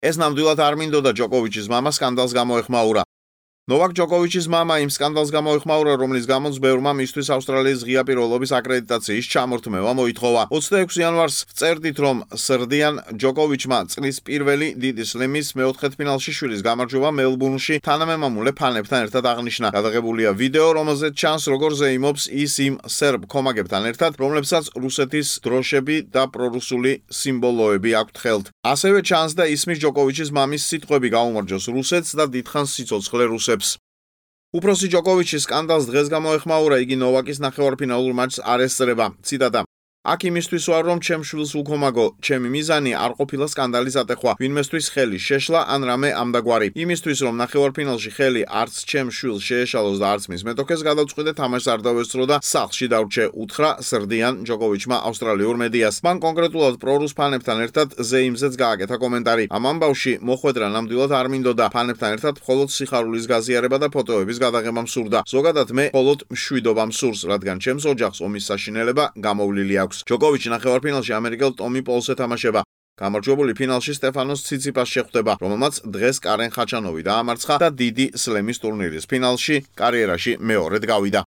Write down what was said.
ეს ნამდვილად არ მინდოდა ჯოკოვიჩის მამა სკანდალს გამოეხმაურა. ნოვაკ ჯოკოვიჩის მამა იმ სკანდალს გამოეხმაურა, რომლის გამოც ბევრმა მისთვის ავსტრალიის ღია პირველობის აკრედიტაციის ჩამორთმევა მოითხოვა. 26 იანვარს ვწერდით, რომ სრდიან ჯოკოვიჩმა წლის პირველი დიდი სლემის მეოთხედფინალში შვილის გამარჯვება მელბურნში თანამემამულე ფანებთან ერთად აღნიშნა. გადაღებულია ვიდეო, რომელზეც ჩანს, როგორ ზეიმობს ის იმ სერბ კომაგებთან ერთად, რომლებსაც რუსეთის დროშები და პრორუსული სიმბოლოები აქვთ ხელთ. ასევე ჩანს და ისმის ჯოკოვიჩის მამის სიტყვები გაუმარჯოს რუსეთს და დიდხანს სიცოცხლე რუსებს. უფროსი ჯოკოვიჩის სკანდალს დღეს გამოეხმაურა, იგი ნოვაკის ნახევარფინალურ მატჩს არ ესწრება. ციტატა: აქ იმისთვის ვარ, რომ ჩემ შვილს უქომაგო, ჩემი მიზანი არ ყოფილა სკანდალის ატეხვა, ვინმესთვის ხელი შეშლა ან რამე ამდაგვარი. იმისთვის, რომ ნახევარფინალში ხელი არც ჩემ შვილს შეეშალოს და არც მის მეტოქეს გადავწყვიტე თამაშს არ დავესწრო და სახლში დავრჩე, უთხრა სრდიან ჯოკოვიჩმა ავსტრალიურ მედიას. მან კონკრეტულად პრორუს ფანებთან ერთად ზეიმზეც გააკეთა კომენტარი. ამ ამბავში მოხვედრა ნამდვილად არ მინდოდა, ფანებთან ერთად მხოლოდ სიხარულის გაზიარება და ფოტოების გადაღება მსურდა. ზოგადად მე მხოლოდ მშვიდობა მსურს, რადგან ჩემს ოჯახს ომის საშინელება გამოვლილი აქვს. ჯოკოვიჩი ნახევარფინალში ამერიკელ ტომი პოლს ეთამაშება. გამარჯვებული ფინალში სტეფანოს ციციპას შეხვდება, რომელმაც დღეს კარენ ხაჩანოვი დაამარცხა და დიდი სლემის ტურნირის ფინალში კარიერაში მეორედ გავიდა.